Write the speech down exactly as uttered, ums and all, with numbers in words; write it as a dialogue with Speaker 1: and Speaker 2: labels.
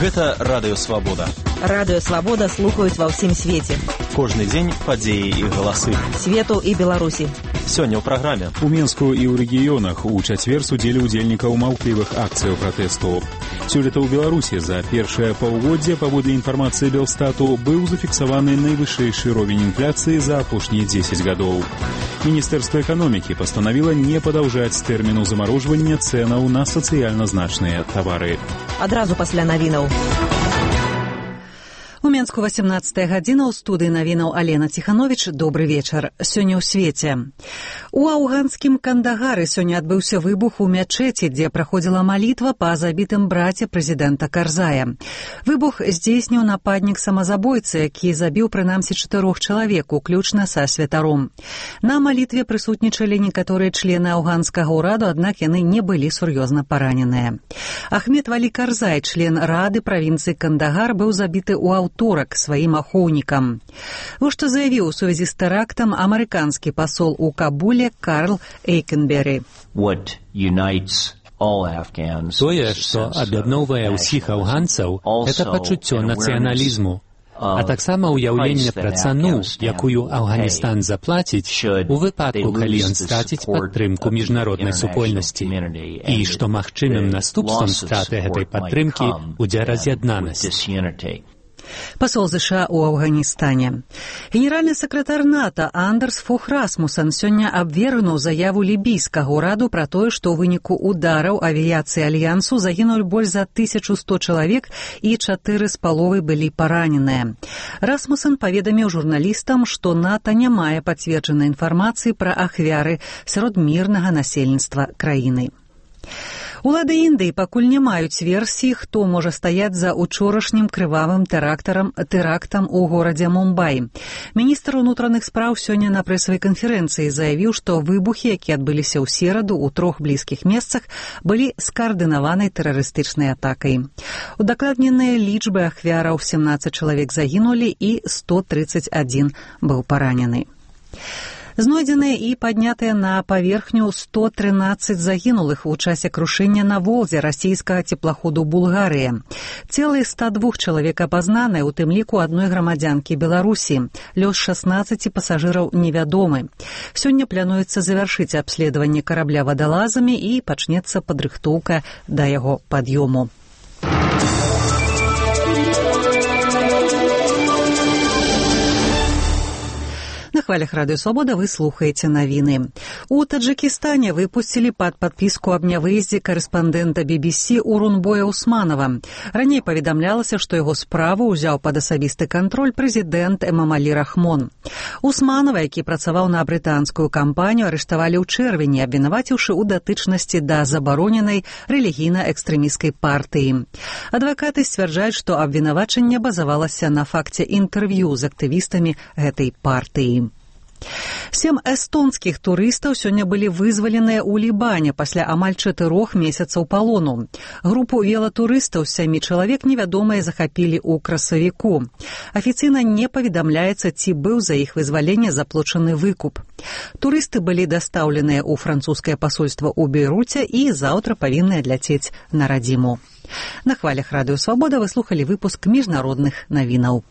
Speaker 1: Гэта Радыё Свабода.
Speaker 2: Радыё Свабода слухаюць ва ўсім свеце.
Speaker 1: Кожны дзень падзеі і галасы.
Speaker 2: Свету і Беларусі.
Speaker 1: Сёння ў праграме.
Speaker 3: У Менску і ў рэгіёнах у чацвер судзілі ўдзельнікаў маўклівых акцыяў пратэсту. Сёлета ў Беларусі за першае паўгоддзе, паводле інфармацыі Белстату, быў зафіксаваны найвышэйшы ровень інфляцыі за апошнія дзесяць гадоў. Міністэрства эканомікі пастанавіла не падаўжаць тэрміну замарожвання цэнаў на сацыяльна значныя тавары.
Speaker 2: Адразу пасля навінаў.
Speaker 4: У Менску васемнаццатая гадзіна, у студыі навінаў Алена Ціхановіч. Добры вечар. Сёння ў свеце. У афганскім Кандагары сёння адбыўся выбух у мячэці, дзе праходзіла малітва па забітым браце прэзідэнта Карзая. Выбух здзейсніў нападнік самазабойцы, які забіў прынамсі чатырох чалавек, уключна са святаром. На малітве прысутнічалі некаторыя члены афганскага ўраду, аднак яны не былі сур'ёзна параненыя. Ахмед Валі Карзай, член рады правінцыі Кандагар, быў забіты ў аўторак сваім ахоўнікам. Вось што заявіў у сувязі з тэрактам амерыканскі пасол у Кабуле Карл Эйкенберы.
Speaker 5: Тое, што аб'ядноўвае ўсіх афганцаў, гэта пачуццё нацыяналізму, а таксама ўяўленне пра цану, якую Афганістан заплаціць у выпадку, калі ён страціць падтрымку міжнароднай супольнасці, і што магчымым наступствам страты гэтай падтрымкі будзе раз'яднанасць.
Speaker 4: Пасол ЗША ў Афганістане. Генеральны сакратар НАТО Андерс Фох Расмуссен сёння абвергнуў заяву лібійскага ўраду пра тое, што ў выніку удараў авіяцыі Альянсу загінулі больш за тысячу сто чалавек і чатыры з паловай былі параненыя. Расмуссен паведаміў журналістам, што НАТО не мае пацверджанай інфармацыі пра ахвяры сярод мірнага насельніцтва краіны. Улады Індыі пакуль не маюць версіі, хто можа стаяць за учорашнім крывавым тэрактам тэрактам у горадзе Мумбай. Міністр унутраных спраў сёння на прэсавай канферэнцыі заявіў, што выбухі, якія адбыліся ў сераду ў трох блізкіх месцах, былі скаардынаванай тэрарыстычнай атакай. Удакладненыя лічбы ахвяраў: семнаццаць чалавек загінулі і сто трыццаць адзін быў паранены. Знойдзеныя і паднятыя на паверхню сто трынаццаць загінулых у часе крушэння на Волзе расійскага цеплаходу «Булгарыя». Целы ста двух чалавек апазнаныя, у тым ліку адной грамадзянкі Беларусі. Лёс шаснаццаці пасажыраў невядомы. Сёння плануецца завяршыць абследаванне карабля вадалазамі і пачнецца падрыхтоўка да яго пад'ёму. На хвалях Радыё Свабода вы слухаеце навіны. У Таджикістане выпусцілі пад падпіску аб нявыездзе карэспандэнта би би сі Урунбоя Усманова. Раней паведамлялася, што яго справу ўзяў пад асабісты кантроль прэзідэнт Эмамалі Рахмон. Усманова, які працаваў на брытанскую кампанію, арыштавалі ў чэрвені, абвінаваціўшы ў датычнасці да забароненай рэлігійна-экстрэмісцкай партыі. Адвакаты сцвярджаюць, што абвінавачанне базавалася на факце інтэрв'ю з актывістамі гэтай партыі. Сем эстонскіх турыстаў сёння былі вызваленыя ў Лібане пасля амаль чатырох месяцаў палону. Групу велатурыстаў з сямі чалавек невядомыя захапілі ў красавіку. Афіцыйна не паведамляецца, ці быў за іх вызваленне заплачаны выкуп. Турысты былі дастаўленыя ў французскае пасольства ў Бейруце і заўтра павінны адляцець на радзіму. На хвалях Радыё Свабода вы слухалі выпуск міжнародных навінаў.